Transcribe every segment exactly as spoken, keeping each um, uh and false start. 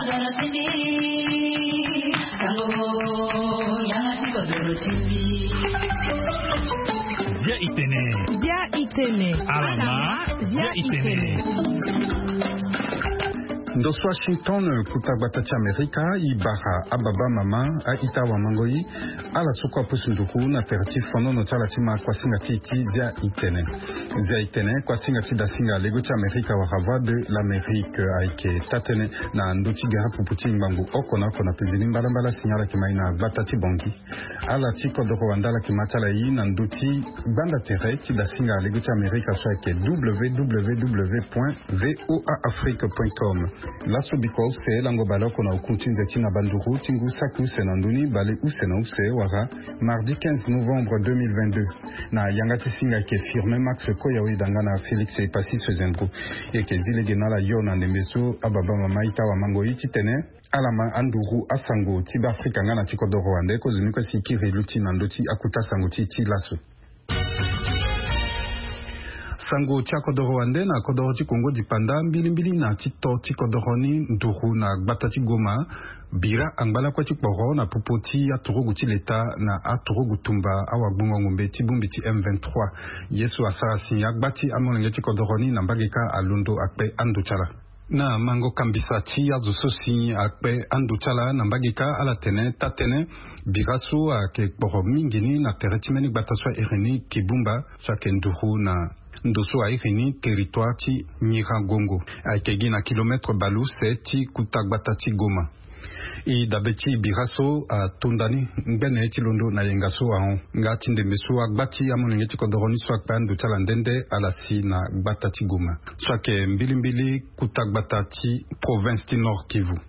Dia itene. Dia itene. Alama. Dia itene. Ndo so Washington, kuta gbata ti Amerika, e bara ababa, mama, a-ita, awamangoi, ala so kue apusu nduru na tere ti fonono ti ala ti ma kuasinga ti e ti dia itene. Dia itene, kuasinga ti dasinga lego ti Amerika wala Voix de l'Amérique, ayeke taa-tënë na ndö ti gere pupu ti ngbangbo oko na oko na pezeni mbalambala. Signal ayeke ma e na gbata ti Bangui. Ala ti kodoro wande ala yeke ma ti ala e na ndö ti gbanda tere ti dasinga lego ti Amerika so ayeke www point voa afrique point com. Laso biko use lango baleoko na oku ti nze ti na banduru ti ngu saki use na ndö ni baleuse na use wala mardi quinze novembre deux mille vingt-deux. Na yanga ti singa ayeke Firmin Max Koyawe danga na Félix Epassi Sezendro. E yeke zi lege na ala yo na ndembe so ababa, mama, a-ita, awamangoi, titene ala ma anduru asango ti Beafrika nga na ti kodoro wande. Kozoni kue si e kiri luti na ndö ti akuta sango ti e ti laso. Sango ti akodoro wande na kodoro ti Kongo dipanda, mbilimbili na ti to ti kodoro ni nduru na gbata ti Goma bira angba lakue ti kporo na popo ti aturugu ti leta na aturugu tumba awagbongo ngombe ti bongbi ti M vingt-trois. Ye so asara si agba ti amolenge ti kodoro ni na mbage kâ alondo akpe ando ti ala. Na mango kambisa ti azo so si akpe ando ti ala na mbage kâ, ala tene taa-tënë bira so ayeke kporo mingi ni na tere ti mbeni gbata so a iri ni Kibumba, so ayeke nduru na ndo so a iri ni territoire ti Nyiragongo. Ayeke gi na kilomètre baleuse ti kuta gbata ti Goma. E dabe ti bira so atonda ni ngbene ti londo na yenga so ahon nga ti ndembe so agba ti amolenge ti kodoro ni so akpe ando ti ala nde nde ala si na gbata ti Goma, so ayeke mbilimbili kuta gbata ti province ti Nord Kivu.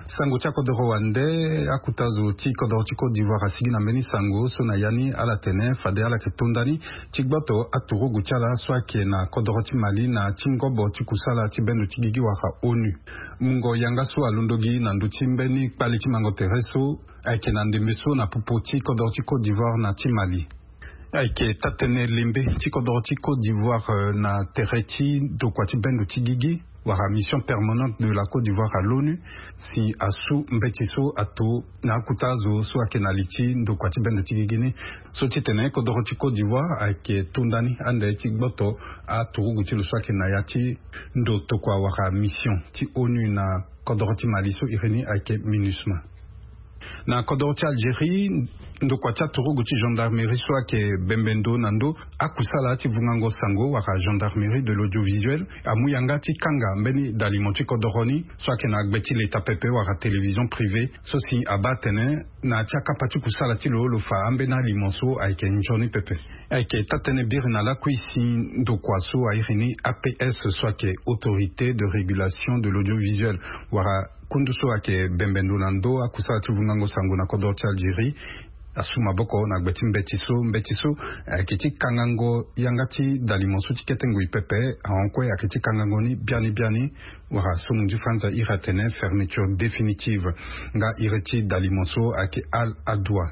Sango ti akodoro wande, akuta zo ti kodoro ti Côte d'Ivoire asigi na mbeni sango so na ya ni ala tene fade ala yeke tonda ni ti gboto aturugu ti ala so ayeke na kodoro ti Mali na ti ngobo ti kusala ti bendo ti gigi wala ONU. Mungo yanga so alondo gi na ndö ti mbeni kpale ti mango tere so ayeke na ndembe so na popo ti kodoro ti Côte d'Ivoire na ti Mali. Ayeke taa-tënë lembe ti kodoro ti Côte d'Ivoire, euh, na tere ti ndokua ti bendo ti gigi wala mission permanente de la Côte d'Ivoire à l'ONU si asu mbeti so ato na akuta azo so ayeke na li ti ndokua ti bendo ti gigi ni, so titene kodoro ti Côte d'Ivoire ayeke tonda ni ande ti gboto aturugu ti lo so ayeke na ya ti ndo tokua wala mission ti ONU na kodoro ti Mali so iri ni ayeke MINUSMA. Na kodoro ti Algérie, ndokua ti aturugu ti gendarmerie so ayeke bembe ndo na ndo akusala ti vungango sango wala gendarmerie de l'audiovisuel amu yanga ti kanga mbeni dalimo ti kodoro ni so ayeke na gbe ti leta pepe wala télévision privée, so si abaa atene na ya ti akapa ti kusala ti lo lo fa ambeni alimo so ayeke nzoni pepe. Ayeke taa-tënë biri na lakui si ndokua so a iri ni APS so ayeke Autorité de Régulation de l'Audiovisuel wala kundu so ayeke bembe ndo na ndo akusala ti vungango sango na kodoro ti Algérie asu maboko na gbe ti mbeti so. Mbeti so ayeke ti kangango yanga ti dalimo so ti kete ngoi pepe ahon kue ayeke ti kangango ni biani biani wala so mu ndi franza iri atene fermeture définitive nga iri ti dalimo so ayeke Al Adoua.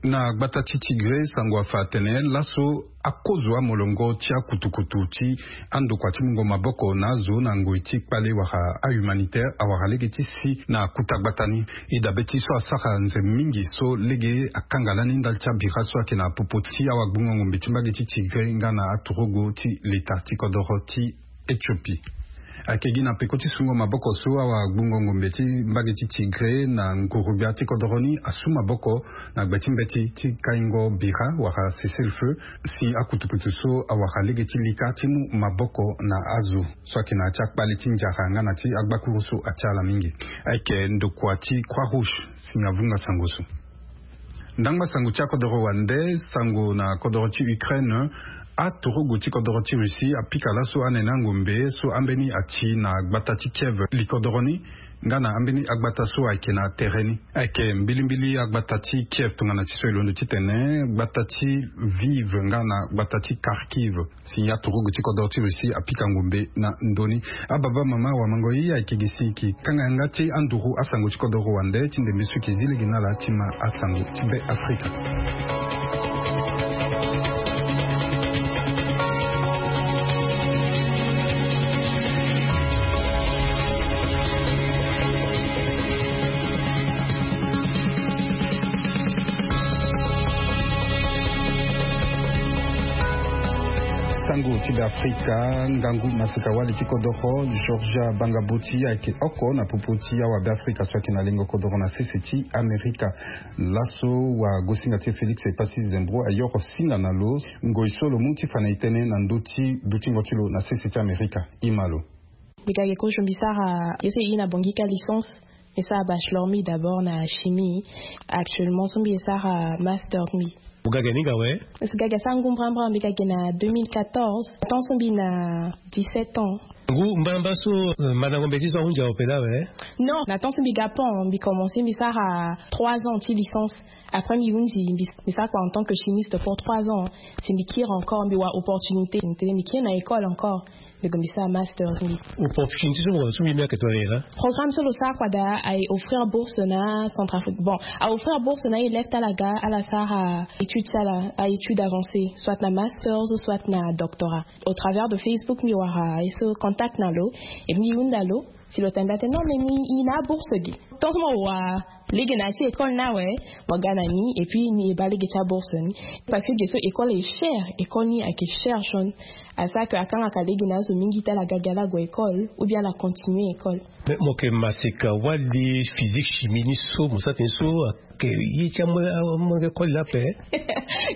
Na gbata ti Tigré, sango afa atene laso akozo amolongo ti akutukutu ti andokua ti mungo maboko na azo na ngoi ti kpale wala ahumanitaire awara lege ti si na kuta gbata ni. E dabe ti so asara nze mingi so lege akanga lani ndali ti abira so ayeke na popo ti awagbongo ngombe ti mbage ti Tigré nga na aturugu ti leta ti kodoro ti Éthiopie. Ayeke gi na peko ti sungo maboko so awagbongo ngombe ti mbage ti Tigré na ngurubia ti kodoro ni asu maboko na gbe ti mbeti ti kaingo bira wala cessez-le-feu si akutukutu so awara lege ti lika ti mu maboko na azo so ayeke na ya ti akpale ti nzara nga na ti agbakuru so atia ala mingi. Ayeke ndokua ti Croix Rouge si avunga sango so. Ndangba sango ti akodoro wande, sango na kodoro ti Ukraine. Aturugu ti kodoro ti Russie apika laso anene angombe so ambeni ati na gbata ti Kiev likodoro ni nga na ambeni agbata so ayeke na tere ni. Ayeke mbilimbili agbata ti Kiev tongana ti so e londo titene gbata ti Lviv nga na gbata ti Kharkiv. Si aturugu ti kodoro ti Russie apika ngombe na ndö ni. Ababa, mama, wamangoi, ayeke gi si e yeke kanga yanga ti anduru asango ti kodoro wande ti ndembe so e yeke zi lege na ala ti ma asango ti Be Afrika. Be afrika, ngangu maseka wali ti kodoro Georgia Bangaboti ayeke oko na popo ti awa be afrika so ayeke na lengo kodoro na sese ti amerika. Laso wagosinga ti e Félix Epassi Zembro ayoro singa na lo ngoi so lo mu ti fa na e tënë na ndö ti dutingo ti lo na sese ti amerika. Ima lo. Mbi ga ge kozo mbi sara ye so e ye na bongi ka licence. Mbi sara bachelor mbi d'abord na chimie. Actuellement so mbi ye sara master mbi. Mo ga ge ni nga we? Parce que ga ge asara ngu mbrambra mbi ga ge na deux mille quatorze, temps so mbi na dix-sept ans. Ngu mbrambra so mandango mbeti so ahunzi aopela we? Non, na temps so mbi ga pont mbi commence mbi sara trois ans ti licence. Après mbi hunzi mbi sara kua en tant que chimiste pour trois ans. Si mbi kiri encore mbi wa opportunité mbi kiri na école encore. Mbi gue mbi sara masters mbi. Opportunité so mo gue na so mbi mbi ayeke tongana nyen laa? Programme so lo sara kua daa aye offrir bourse na centrafrique bon, a offrir bourse na aye left ala ga ala sara étude ti ala a étude avancée soit na masters soit na doctorat. Au travers de facebook mbi wara ye so contact na lo. Et mbi hunda lo si lo tene daa tene non mais ni i na abourse gi. Tant so mo wa lege na ya ti école ni awe. Mo ga na ni et puis ni e baa lege ti abourse ni. Parce que ge so école est cher, école ni ayeke cher jaune. Asara ke akangaka lege na azo mingi ti ala ga gi ala gue école ou bien ala continuer école. Mais mo yeke maseka wali physique chimie ni so mo sara tënë so ayeke ye ti amolenge koli laa ape?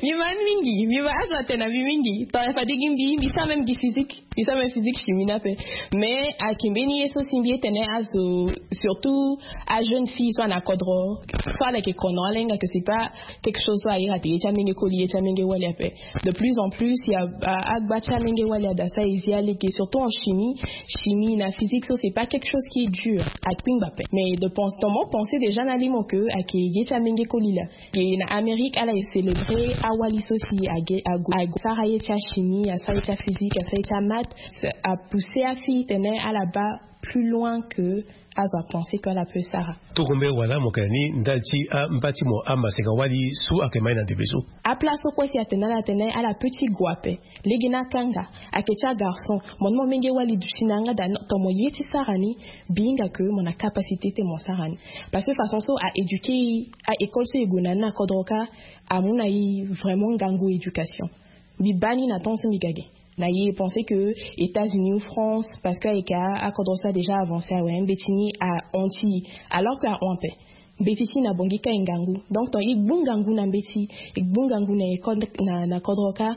Mbi ma ni mingi mbi ma azo atene na mbi mingi tongana fade gi mbi mbi sara même gi physique. Mbi sara même physique chimie ni ape. Mais ayeke mbeni ye so si mbi ye tene azo surtout ajeune fille so ana kodro so ala yeke kono ala hinga ke c'est pas quelque chose so aye ate ye ti amenge koli ye ti amenge wali ape. De plus en plus ya agba ti amenge wali ada so aye zi alege surtout en chimie. Chimie na physique so c'est pas quelque chose qui est dur. Akpingba ape mais de pense dans mon pensée déjà na limo ke ayeke ye ti amenge koli laa. Ye na amérique ala ye célébrer awali so si ague ague sara ye ti achimie asara ye ti aphysique asara ye ti amat. Apousser afille tene ala baa plus loin ke azo apenser ke ala peut sara. Toko mbeni wala mo yeke na ni ndali ti amba ti mo amaseka wali so ayeke ma ye na ndembe so. Aplace so kue si atene ala tene ala petit gue ape. Lege ni akanga ayeke ti agarçon. Mo ni mo menge wali duti na yanga daa non ton mo ye ti sara ni. Mbi hinga ke mo na capacité ti mo sara ni. Parce que façon so a éduquer e a école so e gue na ni na kodro kâ amu na e vraiment ngangu éducation. Mbi baa ni na temps so mbi ga ge na e e penser ke états-unis ou france parce que ayeke akodro so a déjà avancé awe mbeti ni ahon ti e. Alors ke ahon ape mbeti ti e na bongi kâ e ngangu. Donc ton e gbu ngangu na mbeti e gbu ngangu na école na kodro kâ.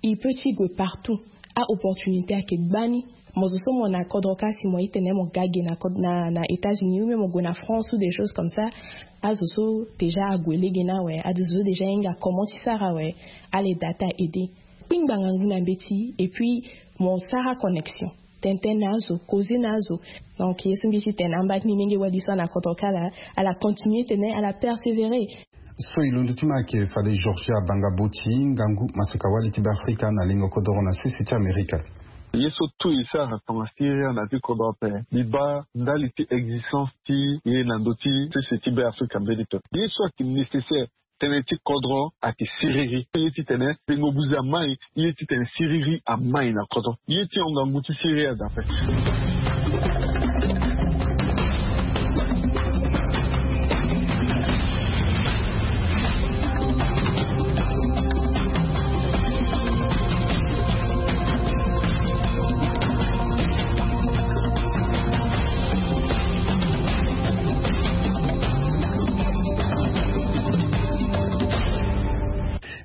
E peut ti gue partout. A opportunité ayeke gbani. Mo zo so mo na kodro kâ si mo ye tene mo ga ge na kodro na états-unis ou même mo gue na france ou des choses comme ça. Azo so déjà ague lege ni awe azo so déjà ahinga comment ti sara awe. Ala eda ti a aider. Kpingba ngangu na mbeti et puis mo sara connexion tene tene na azo causer na azo. Donc ye so mbi ti tene amba ti mbi menge wali so ana kodro kâ laa ala continuer tene ala persévérer. So e londo ti ma ayeke fade georgia banga boti ngangu maseka wali ti be afrika na lengo kodoro na sese ti amerika. Ye so tout e sara tongana syria na ti kodro ape. Mbi baa ndali ti existence ti e na ndö ti sese ti be afrika mbeni pe. Ye so ayeke nécessaire tënë ti kodro ayeke siriri. Ye titene tengo buze amai ye titene siriri amai na kodro. Ye ti hon ngangu ti siriri ada ape.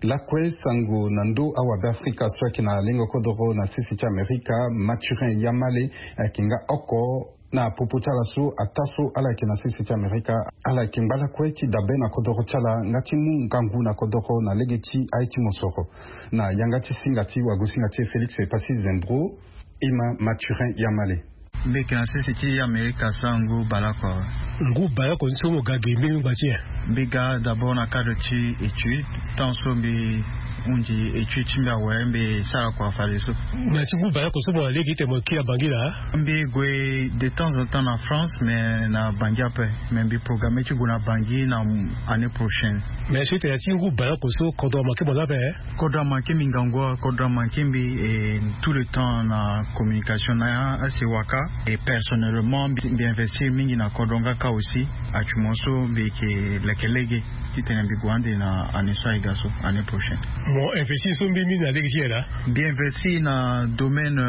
Lakue sango na ndö awa be afrika so ayeke na lengo kodoro na sese ti amerika. Mathurin yamale ayeke nga oko na popo ti ala so ataa so ala yeke na sese ti amerika. Ala yeke ngba lakue ti dabe na kodoro ti ala nga ti mu ngangu na kodoro na lege ti aye ti mosoro. Na yanga ti singa ti wagosinga ti e félix epassi zembro. Ima mathurin yamale. Mbi yeke na sese ti amerika asara ngu baleoko awe. Ngu baleoko ni so mo ga ge mbeni ngba ti nyen? Mbi ga d'abord na cadre ti étude. Tant so mbi hunzi étude ti mbi awe mbi sara kua fadeso. Na ti ngu baleoko so mo na lege ite mo kiri na bangi laa? Mbi gue de temps en temps na france mais na bangi ape. Mais mbi programme ti gue na bangi na année prochaine. Mais so ite na ti ngu baleoko so kodro amanke mo laa ape? Kodro amanke mbi ngangu awe kodro amanke mbi. Et tout le temps na communication na ya asi waka. Et personnellement mbi investir mingi na kodro nga kâ aussi. Actuellement so mbi yeke leke lege titene mbi gue ande na année so aye ga so année prochaine. Mo investir so mbi mingi na lege ti yela. Mbi investir na domaine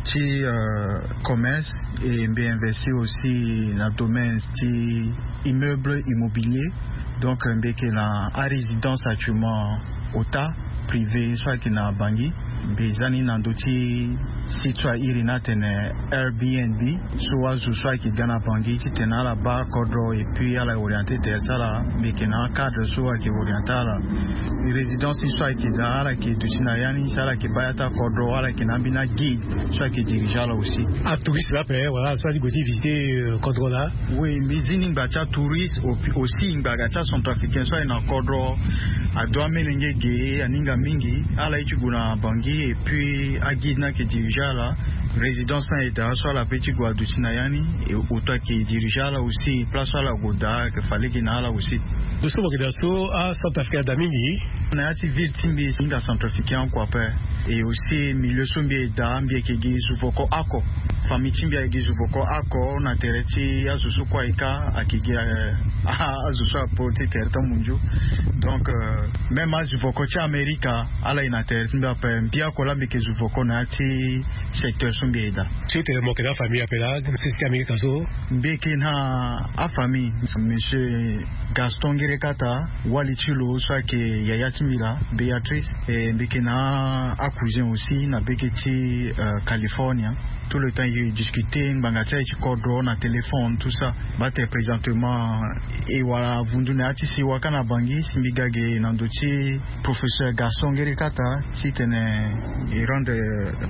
ti commerce, et mbi investir aussi na domaine ti immeuble immobilier. Donc mbi yeke na arésidence actuellement ota privé so ayeke na bangi. Mbi za ni na ndö ti site so airi ni atene Airbnb. So azo so ayeke ga na bangi titene ala baa kodro et puis ala orienter tere ti ala. Mbi yeke na acadre so ayeke orienter ala. Résidence ni so ayeke daa ala yeke duti na ya ni si ala yeke baa ya ti akodro, ala yeke na ambeni aguide so ayeke diriger ala aussi. Atouriste laa ape wala so ali gue ti visiter kodro laa? Oui, mbi zi ni ngba ti atouriste aussi ngba ga ti acentrafricain so aye na kodro. Ado amelenge ge aninga mingi. Ala ye ti gue na bangi et puis aguide ni ayeke diriger ala. Résidence ni aye daa so ala pe ti gue aduti na ya ni. Oto ayeke diriger ala aussi place so ala gue daa ayeke fa lege na ala aussi. Ndo so mo yeke daa so acentrafricain ada mingi? Na ya ti ville ti mbi e hinga centrafricain oko ape. Et aussi milieu so mbi e daa mbi yeke gi zuvoko oko. Famille ti mbi ayeke gi zuvoko oko na tere ti azo so kue ayeke ayeke gi azo so apo ti tere ti amunzu. Donc même azuvoko ti amerika ala ye na tere ti mbi ape. Mbi oko laa mbi yeke zuvoko na ya ti secteur so mbi e daa. So tene mo yeke na afamille ape laa sese ti amerika so? Mbi yeke na afamille monsieur Gaston Ngerekata, wali ti lo so ayeke yaya ti mbi laa Béatrice. E mbi yeke na acousin aussi na bege ti California. Tout le temps e discuter ngbanga ti aye ti kodro na téléphone tout ça. Bate présentement e wara avundu na ya ti sewa kâ na bangi si mbi ga ge na ndö ti professeur Gaston Ngerekata titene e rendre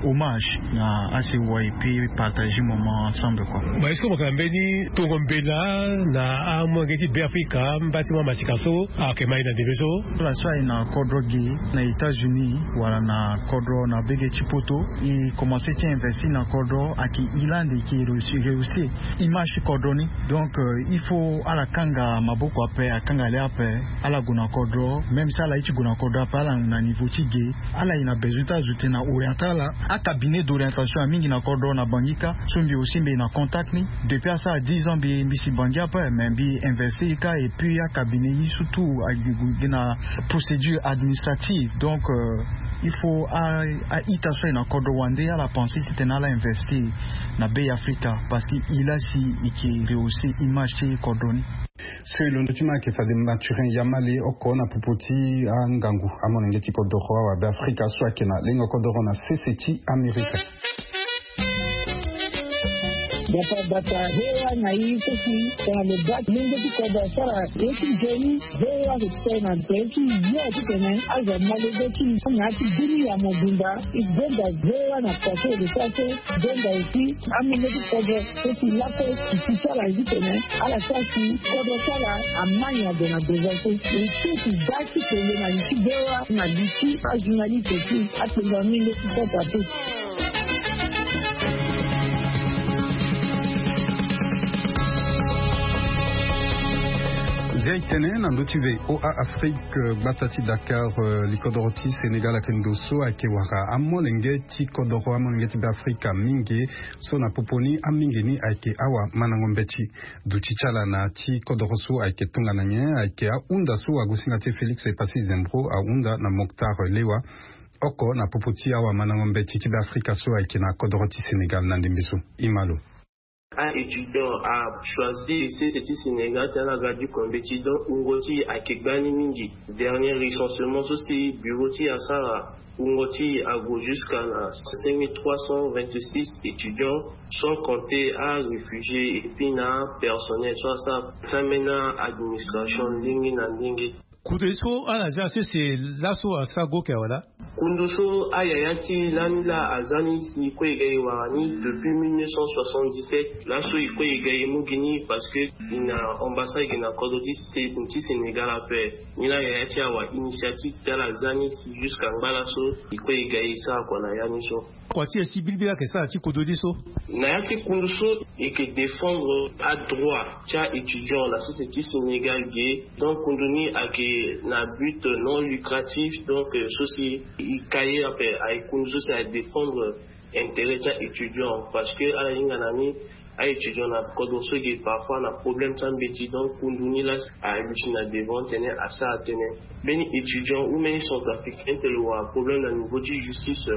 hommage na asewa et puis partager moment ensemble quoi. Mais est-ce que mo yeke na mbeni tongo mbela na amolenge ti Beafrika mba ti mo amasika so ayeke ma ye na ndembe so? Ala so aye na kodro ge na États-Unis wala na kodro na bege ti poto, e commencer ti investir na kodro ayeke e laa ande e yeke rehausser image ti kodro ni. Donc il faut ala kanga maboko ape, akanga le ape. Ala gue na kodro même si ala ye ti gue na kodro ape ala na niveau ti ge. Ala ye na besoin ti azo tena orienter ala. Acabinet d'orientation aye mingi na kodro na bangi kâ. So mbi aussi mbi ye na contact ni depuis asara dix ans mbi si bangi ape mais mbi investir kâ et puis acabinet ni surtout aye gi na procédure administrative. Donc il faut a-ita so aye na kodro wande ala penser titene ala investir na Beafrika parce que e laa si e yeke rehausser image ti kodro ni. So e londo ti ma ayeke fade Mathurin Yamale oko na popo ti angangu amolenge ti kodoro awa Beafrika so ayeke na lengo kodoro na sese ti Amerika. Bata bata hewa na ye so si tongana lo baa ti lenge ti kodro asara ye ti nzoni. Hewa ayeke sara na tere ti yo titene azo ama lege ti na ya ti dunia mobimba. E gonda hewa na pase lo sara so gonda aussi amolenge ti kodro so si lakue si ti sara ye titene ala sara si kodro ti ala ama nyen ade na devant so. E so si baa ti kele na li ti hewa na li ti ajournaliste ti akpengba mingi ti sasa pe. Zia e tene na ndö ti VOA Afrique gbata ti Dakar likodoro ti Sénégal ayeke ndo so ayeke wara amolenge ti kodoro amolenge ti Beafrika mingi. So na popo ni amingi ni ayeke awamandango mbeti. Duti ti ala na ti kodoro so ayeke tongana nyen ayeke ahunda so agosinga ti e Félix Epassi Zembro ahunda na Moctar Lewa. Oko na popo ti awamandango mbeti ti Beafrika so ayeke na kodoro ti Sénégal na ndembe so. E ma lo. A-étudiant achoisir sese ti Sénégal ti ala ga duko mbeti donc wungo ti e ayeke gbani mingi. Dernier recensement so si bureau ti e asara wungo ti e ague jusqu'à na cinq mille trois cent vingt-six étudiants, sans compter aréfugié et puis na apersonnel so asara ti ambeni a-administration ndenge na ndenge. Kundu so ala za sese laso asara go yeke awe laa? Kundu so ayaya ti lani laa aza ni si e kue e ga e wara ni depuis mille neuf cent soixante-dix-sept. Laso e kue e ga e mu gi ni parce que e na ambassade e ga na kodro ti Sénégal ape. Ni laa yaya ti awa initiative ti ala aza ni si jusqu'à ngba laso e kue e ga e sara kua na ya ni so. Kua ti e si bilibili ayeke sara ti kodro ni so? Na ya ti kundu so e yeke défendre adroit ti a-étudiant na sese ti Sénégal ge. Donc kundu ni ayeke na but non lucratif donc so si e ka ye ape aye kundu so si aye défendre intérêt ti a-étudiant parce que ala hinga na ni Aétudiant na kodro so ge parfois na problème ti ambeti, donc kundu ni la aluti na devant tene asara tënë. Mbeni étudiant ou mbeni centrafricain ti lo wara problème na niveau ti justice,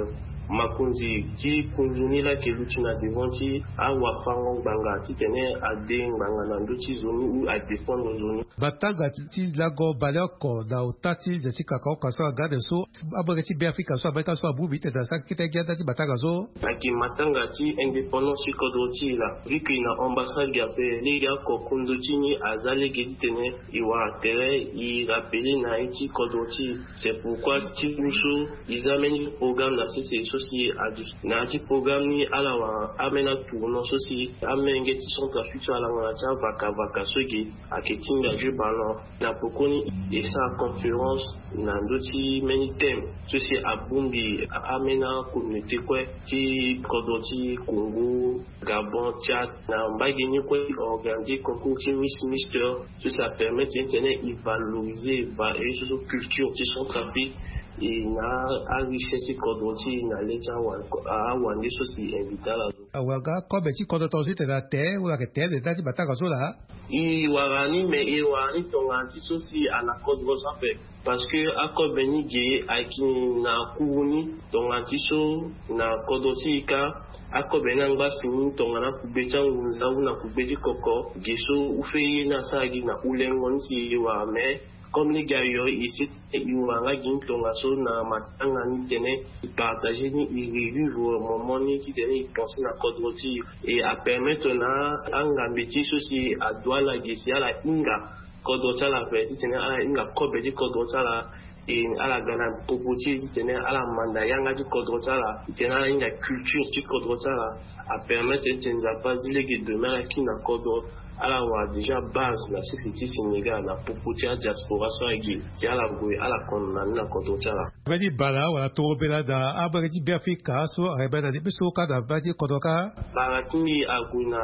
makonzi ti kundu ni la ke luti na devant ti awafango ngbanga titene ade ngbanga na ndö ti zo ni ou adéfendre zo ni. Batanga ti lango baleoko na ota ti ze ti kakaoka so agarde so, abenge ti Beafrika so abeta so abongbi tene asara kete gi anda ti batanga so. Ayeke matanga ti indépendance ti kodro ti e la. Vu que na ambassade ge ape lege oko kundu ti ni aza lege titene e wara tere e rappele na ye ti kodro ti e. C'est pourquoi ti lu so e za mbeni programme na sese so si adu na ya ti programme ni ala wara ambeni atournant so si amenge ti Centrafrique so alanga na ti avakavaka so ge ayeke ti engagé ballon. Na pokoni e sara conférence na ndö ti mbeni thème so si abongbi ambeni acommunauté kue ti kodro ti Congo, Gabon, Tchad. Na mbage ni kue e organiser concours ti Miss Mister so si apermettre titene e valoriser e va e so so culture ti Centrafrique e na arichesse ti kodro ti e na le ti awande so si e invite ala. Awara nga kobe ti kodro tonga so tene ate wala ayeke tere nda ti batanga so laa. E wara ni me e wara ni tongana ti so si ala kodro so ape. Parce que akobe ni ge ayeke na kuru ni tongana ti so na kodro ti e ka. Akobe ni angba si ni tongana akugbe ti angunza ou na kugbe ti koko ge so ou fait ye ni asara gi na ulengo ni si e wara me. Comme lege ayo e si e wara nga gi ni tongaso na matanga ni titene e partager ni e revivre moment ni titene e pense na kodro ti e. E apermettre na angambe ti so si adoit ala ge si ala hinga kodro ti ala ape titene ala hinga kobe ti kodro ti ala. E ala ga na popo ti e titene ala manda yanga ti kodro ti ala titene ala hinga culture ti kodro ti ala. Apermettre titene Nzapa azi lege demain ala kiri na kodro. Ala wara déjà base na sese ti Sénégal na popo ti adiaspora so agi si ala gue ala kono na ni na kodro ti ala. Mbeni bala wala torombela na abage ti Beafrika so ayeke baa na ni mbi so ka na baa ti kodro ka. Bala ti mbi ague na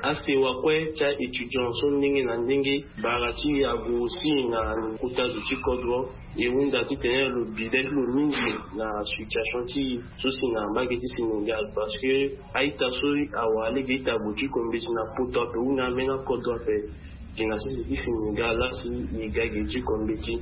asewa kue ti aétudiant so ndenge na ndenge. Bala ti e ague aussi na kota zo ti kodro. E hunda titene lo bi le ti lo mingi na situation ti e so si na mbage ti Sénégal parce que a-ita so awara lege ita ague ti kombeti na poto ape ou na ambeni akodro ape. Gi na sese ti Sénégal laa si e ga gi ti kombeti.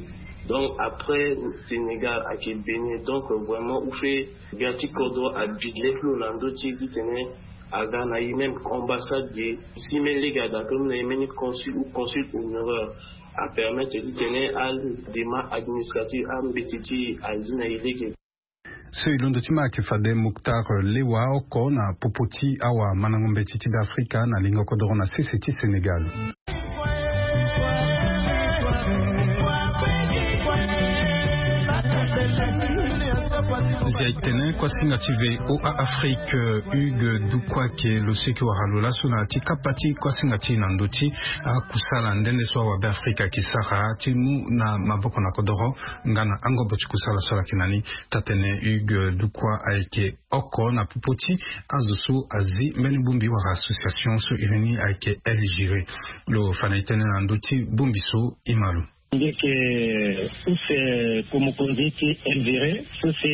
Donc après Sénégal ayeke Bénin, donc vraiment ou fait ga ti kodro abi le ti lo na ndö ti e titene aga na e même ambassade ge. Si même lege ada pe mu na e mbeni consul ou consul honoraire apermettre titene adémarche administrative ambeti ti e azi na e lege. So e londo ti ma ayeke fade Moctar Lewa oko na popo ti awamandango mbeti ti Beafrika na lingo kodoro na sese ti Sénégal. Nzia e tene kuasinga ti V O A Afrique, Hugues Dukwa ke lo so e ke wara lo laso na ya ti kapa ti kuasinga ti e na ndö ti akusala nde nde so awabeafrika ayeke sara ti mu na maboko na kodoro nga na angobo ti kusala so ala yeke na ni. Taa-tene Hugues Dukwa ayeke oko na popo ti azo so azi mbeni bongbi wala association so iri ni ayeke El Giré. Lo fa na e tënë na ndö ti bongbi so e ma lo. Mbi yeke use ko mokonzi ti El Giré so si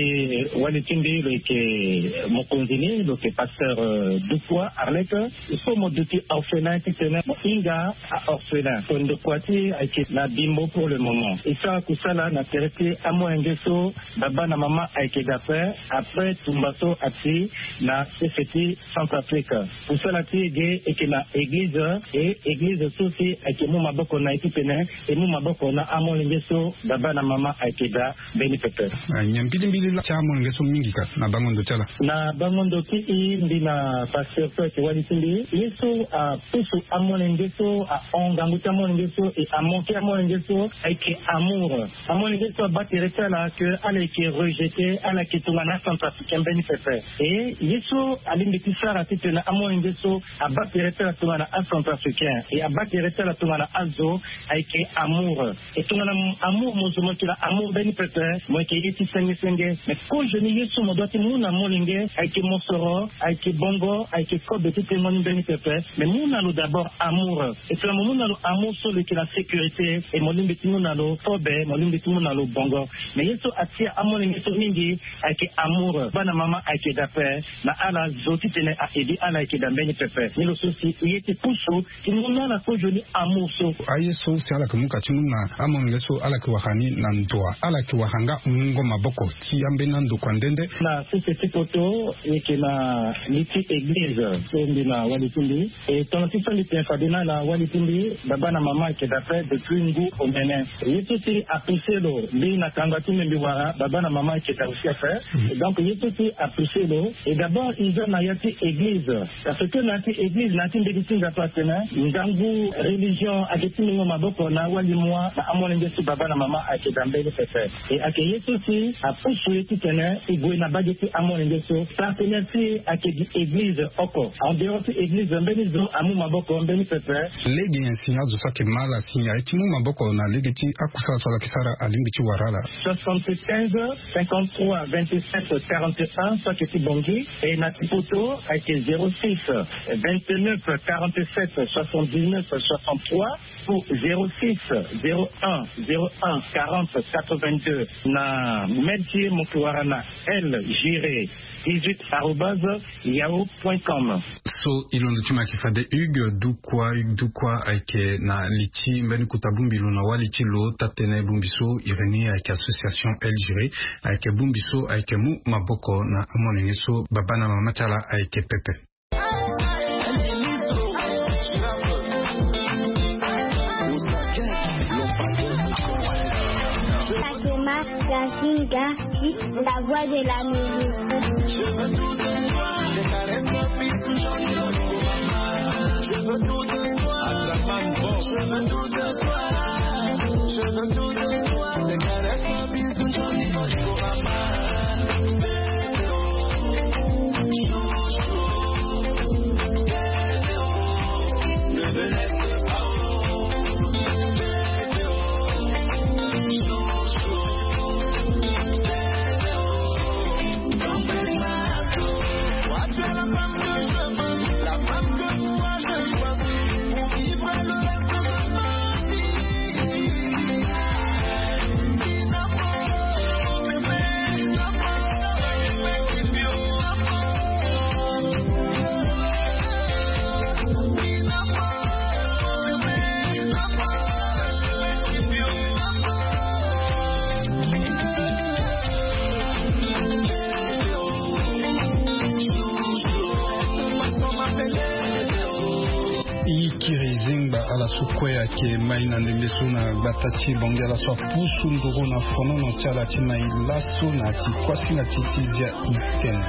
wali ti mbi lo yeke mokonzi ni lo yeke pasteur, euh, Dukwa Arlette. Il faut mo duti orphelin titene mo hinga a-orphelin. Ko ndokua ti e ayeke na Bimbo pour le moment. E sara kusala na tere ti amolenge so baba na mama ayeke daa ape après tumba so ati na sese ti Centrafrique. Kusala ti e ge e yeke na eglize, e eglize so si ayeke mu maboko na e titene e mu maboko na amolenge so baba na mama ayeke daa mbeni pepe. Ah, nyen mbilimbili laa ti amolenge so mingi ka na bango ndo ti ala? Na bango ndo ti e, mbi na pasteur so ayeke wali ti mbi, ye so apusu amolenge so, ahon ngangu ti amolenge so, e amoke amolenge so, ayeke amour. Amolenge so abaa tere ti ala ke ala yeke rejeté, ala yeke tongana acentrafricain mbeni pepe. E ye so alingbi ti sara titene amolenge so abaa tere ti ala tongana acentrafricain, e abaa tere ti ala tongana azo, ayeke amour. E tongana amour mo zo mo yeke na amour mbeni pepe, mo yeke ye ti senge senge. Mais kozoni ye so mo doit ti mu na molenge ayeke mosoro, ayeke bongo, ayeke kobe ti tengo ni mbeni pepe. Mais mu na lo d'abord amour. E tongana mo mu na lo amour so lo yeke na sécurité, e mo lingbi ti mu na lo kobe, mo lingbi ti mu na lo bongo. Mais ye so atia amolenge so mingi ayeke amour. Bana mama ayeke daa ape na ala zo titene a aider ala ayeke daa mbeni pepe. Ni lo so si e ye ti pusu ti mu na ala kozoni amour so. Aye so si ala yeke mu ka ti mu na amolenge so ala yeke wara ni na ndo wa, ala yeke wara nga mungo maboko ti ambeni andokua nde nde. Na sese ti poto e yeke na li ti église so mbi na wali ti mbi. E tongana ti so mbi tene fade na ala wali ti mbi, baba na mama ayeke daa ape depuis ngu omene. Ye so si apousse lo mbi na kanga ti mbi mbi wara, baba na mama ayeke daa aussi ape. Mhm. Et donc ye so si apousse lo, et d'abord e za na ya ti église. Parce que na ya ti église, na ya ti mbeti ti Nzapa atene ngangu religion ayeke ti mungo maboko na awali mua na amolenge so baba na mama ayeke daa mbeni pepe. Et ayeke ye so si apusu e titene e gue na mbage ti amolenge so. Partenaire ti e ayeke gi église oko. En dehors ti église, mbeni zo amu maboko mbeni pepe. Lege nyen si azo so ayeke mal asi aye ti mu maboko na lege ti akusala so ala yeke sara, alingbi ti wara ala? Soixante-quinze, cinquante-trois, vingt-sept, quarante et un, so ayeke ti Bangui. Et na ti poto ayeke zéro six, vingt-neuf, quarante-sept, soixante-dix-neuf, soixante-trois, ou zéro six, zéro un, zéro un, quarante, quatre-vingt-deux. Na mail ti e mo yeke wara na L Giré dix-huit arobase yahoo point com. So e londo ti mo ayeke fade Hugues Dukwa. Hugues Dukwa ayeke na li ti mbeni kota bongbi lo na wali ti lo. Taa-tënë bongbi so e reni ayeke association L Giré, ayeke bongbi so ayeke mu maboko na amolenge so baba na mama ti ala ayeke pepe. Fatima Zazinga, la voix de l'Amérique. E kiri zengba ala so kue ayeke mai na ndembe so na gbata ti Bangui, ala so apusu nduru na fonono ti ala ti mai laso na ya ti kuasinga ti ti zia itene.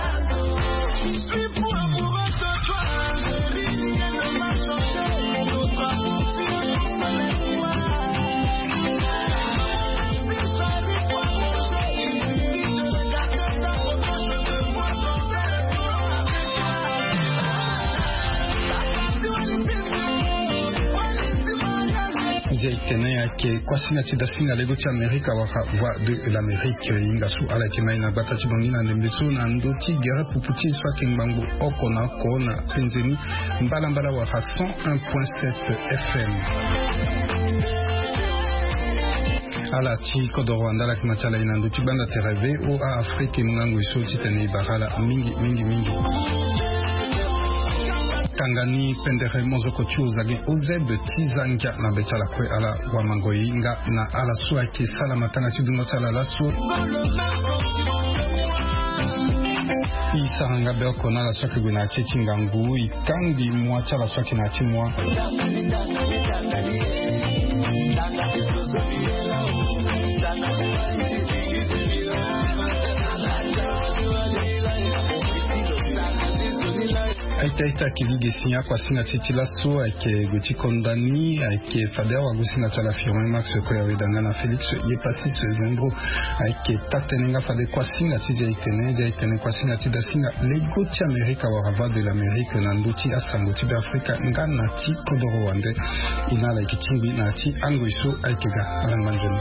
Nzia itene ayeke kuasinga ti dasinga lego ti Amerika wala Voix de l'Amérique. Hinga so ala yeke mai na gbata ti Bangui na ndembe so na ndö ti gere pupu ti e so ayeke ngbangbo oko na oko na penze ni mbalambala wala cent un point sept F M. Ala ti kodoro wanda ala yeke ma ti ala e na ndö ti gbanda tere V O A Afrique, e mu ngangu e so titene e bara ala mingi mingi mingi. Tanga ni pendere mozoko ti Ozage O Z ti za ngia na be ti ala kue ala wamango e nga na ala so ayeke sala matanga ti dungo ti ala laso. E sara nga be oko na ala so ayeke gue na ya ti e ti ngangu, e kangbi mua ti ala so ayeke na ya ti mua. Ita ita kiligi si akuasinga ti ti laso ayeke gue ti konda ni ayeke fade awagosinga ti ala Firmin Max Koyaweda nga na Félix Yepasis Zembro. Ayeke taa-tënë nga fade kuasinga ti zia etene zia etene kuasinga ti dasinga lego ti Amerika wala Voix de l'Amérique na ndö ti asango ti Beafrika nga na ti kodoro wande. E na ala yeke tingbi na ya ti angoi so ayeke ga. Ala ngba nzoni.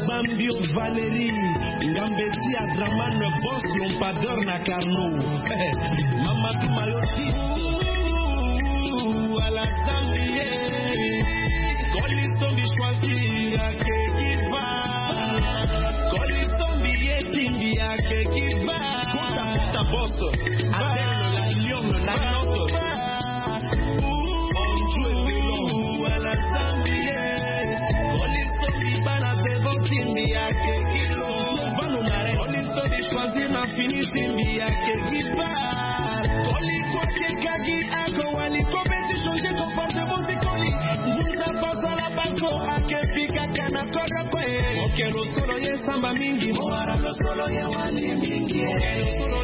Bambio Valérie, Ngambeti Adraman, boss Lompadeur na Carnot. Mama Touma yo ti. Ala Zambie. Koli sombi choisir ake kiva. Koli sombi ye timbi ake kiva. Kota, kota, boss. Adèle la lionne, la lionne. Bonjour, ala Zambie. Koli sombi bana devant timbi ake kilo. Bano mare. Koli sombi choisir na fini timbi ake kiva. Koli kwake kaki ako wali ko beti changer comportement ti koli. Ngunza pasala bako ake fika kana koro kwe. Okelo solo ye samba mingi. Mowara lo solo ye wali mingi. Okelo solo